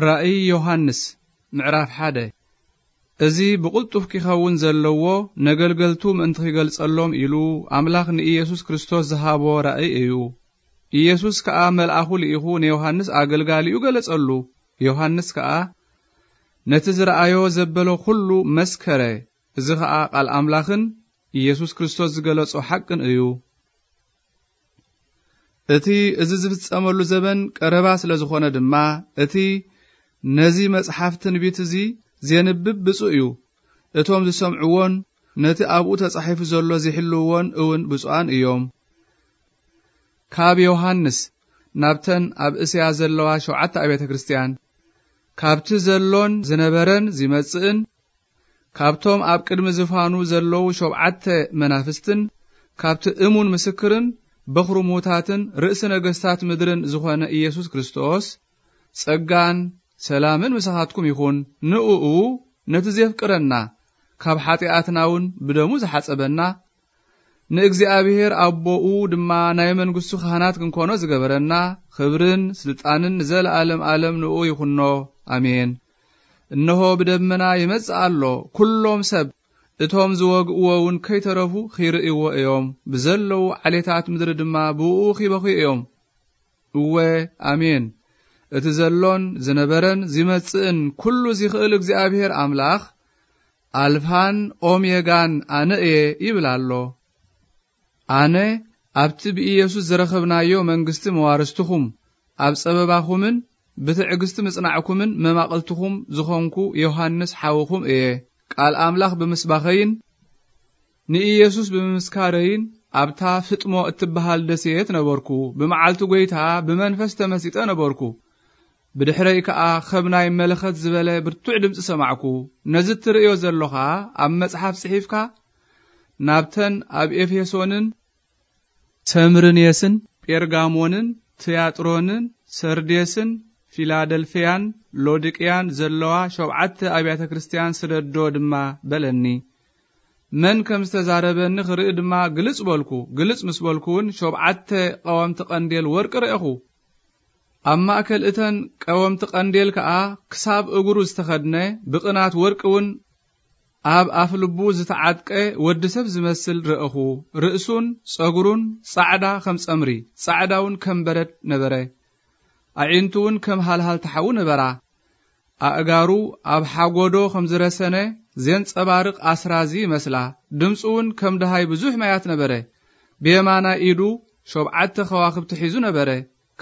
ራእይ ዮሃንስ ምዕራፍ ሓደ። እዚ ብቕልጡፍ ኪኸውን ዘለዎ ነገልገልቱ ምእንቲ ኺገልጸሎም ኢሉ ኣምላኽ ንኢየሱስ ክርስቶስ ዝሃቦ ራእይ እዩ። ኢየሱስ ከኣ መልኣኹ ልኢኹ ንዮሃንስ ኣገልጋሊኡ ገለጸሉ። ዮሃንስ ከኣ ነቲ ዝረኣዮ ዘበሎ ኹሉ መስከረ። እዚ ኸኣ ቃል ኣምላኽን ኢየሱስ ክርስቶስ ዝገለጾ ሓቅን እዩ። እቲ እዚ ዝፍጸመሉ ዘበን ቀረባ ስለ ዝኾነ ድማ፣ እቲ ነዚ መጽሓፍ ትንቢት እዚ ዜንብብ ብፁእ እዩ። እቶም ዝሰምዕዎን ነቲ ኣብኡ ተጻሒፉ ዘሎ ዚሕልውዎን እውን ብፁኣን እዮም። ካብ ዮሃንስ ናብተን ኣብ እስያ ዘለዋ ሸውዓተ ኣብያተ ክርስትያን፣ ካብቲ ዘሎን ዝነበረን ዚመጽእን፣ ካብቶም ኣብ ቅድሚ ዝፋኑ ዘለዉ ሸውዓተ መናፍስትን፣ ካብቲ እሙን ምስክርን በኹሪ ምዉታትን ርእሲ ነገስታት ምድርን ዝኾነ ኢየሱስ ክርስቶስ፣ ጸጋን ሰላምን ምሳኻትኩም ይኹን። ንእኡ ነቲ ዜፍቅረና፣ ካብ ሓጢኣትና እውን ብደሙ ዝሓጸበና፣ ንእግዚኣብሔር ኣቦኡ ድማ ናይ መንግስቱ ካህናት ክንኮኖ ዝገበረና፣ ክብርን ስልጣንን ንዘለኣለም ኣለም ንእኡ ይኹኖ። ኣሜን። እነሆ ብደመና ይመጽእ ኣሎ። ኩሎም ሰብ እቶም ዝወግእዎ እውን ከይተረፉ ኺርእይዎ እዮም። ብዘለዉ ዓሌታት ምድሪ ድማ ብእኡ ኺበኽዩ እዮም። እወ፣ ኣሜን። እቲ ዘሎን ዝነበረን ዚመጽእን ኩሉ ዚኽእል እግዚኣብሔር ኣምላኽ፣ ኣልፋን ኦሜጋን ኣነ እየ ይብል ኣሎ። ኣነ ኣብቲ ብኢየሱስ ዝረኸብናዮ መንግስቲ መዋርስትኹም፣ ኣብ ጸበባኹምን ብትዕግስቲ ምጽናዕኩምን መማቕልትኹም ዝኾንኩ ዮሃንስ ሓውኹም እየ። ቃል ኣምላኽ ብምስባኸይን ንኢየሱስ ብምምስካረይን ኣብታ ፍጥሞ እትበሃል ደሴት ነበርኩ። ብመዓልቲ ጐይታ ብመንፈስ ተመሲጠ ነበርኩ። ብድሕረይ ከኣ ኸም ናይ መለኸት ዝበለ ብርቱዕ ድምጺ ሰማዕኩ። ነዚ እትርእዮ ዘሎኻ ኣብ መጽሓፍ ጽሒፍካ ናብተን ኣብ ኤፌሶንን ሰምርኔስን ጴርጋሞንን ትያጥሮንን ሰርዴስን ፊላደልፍያን ሎዲቅያን ዘለዋ ሸውዓተ ኣብያተ ክርስትያን ስደዶ ድማ በለኒ። መን ከም ዝተዛረበኒ ክርኢ ድማ ግልጽ በልኩ። ግልጽ ምስ በልኩ እውን ሸውዓተ ቀወምቲ ቀንዴል ወርቂ ረእኹ። ኣብ ማእከል እተን ቀወምቲ ቀንዴል ከኣ ክሳብ እግሩ ዝተኸድነ ብቕናት ወርቂ እውን ኣብ ኣፍ ልቡ ዝተዓጥቀ ወዲ ሰብ ዝመስል ረእኹ። ርእሱን ጸጉሩን ጻዕዳ ከም ጸምሪ፣ ጻዕዳ እውን ከም በረድ ነበረ። ኣዒንቱ እውን ከም ሃልሃልቲ ሓዊ ነበራ። ኣእጋሩ ኣብ ሓጎዶ ከም ዝረሰነ ዜንጸባርቕ ኣስራዚ ይመስላ። ድምጹ እውን ከም ደሃይ ብዙሕ ማያት ነበረ። ብየማናይ ኢዱ ሸውዓተ ከዋኽብቲ ሒዙ ነበረ።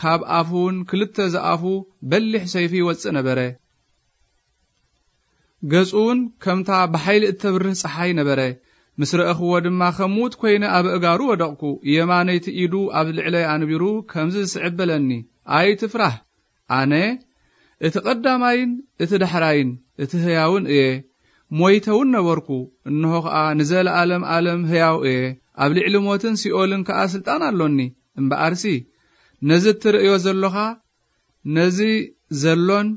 ካብ ኣፉ እውን ክልተ ዝኣፉ በሊሕ ሰይፊ ይወጽእ ነበረ። ገጹ እውን ከምታ ብሓይሊ እተብርህ ጸሓይ ነበረ። ምስ ረእኽዎ ድማ ከም ምዉት ኰይነ ኣብ ኣእጋሩ ወደቕኩ። የማነይቲ ኢዱ ኣብ ልዕለይ ኣንቢሩ ከምዚ ዝስዕብ በለኒ፣ ኣይትፍራህ። ኣነ እቲ ቐዳማይን እቲ ዳሕራይን እቲ ህያውን እየ። ሞይተ እውን ነበርኩ፣ እንሆ ኸኣ ንዘለኣለም ኣለም ህያው እየ። ኣብ ልዕሊ ሞትን ሲኦልን ከኣ ስልጣን ኣሎኒ። እምበኣርሲ ነዚ እትርእዮ ዘሎኻ፣ ነዚ ዘሎን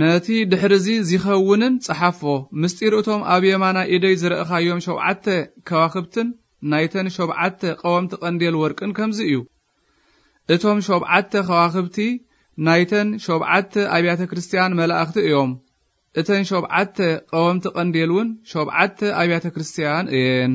ነቲ ድሕርዚ ዚኸውንን ጸሓፎ። ምስጢር እቶም ኣብ የማናይ ኢደይ ዝረእኻዮም ሸውዓተ ከዋኽብትን ናይተን ሸውዓተ ቀወምቲ ቀንዴል ወርቅን ከምዚ እዩ። እቶም ሸውዓተ ከዋኽብቲ ናይተን ሸውዓተ ኣብያተ ክርስትያን መላእኽቲ እዮም። እተን ሸውዓተ ቀወምቲ ቀንዴል እውን ሸውዓተ ኣብያተ ክርስትያን እየን።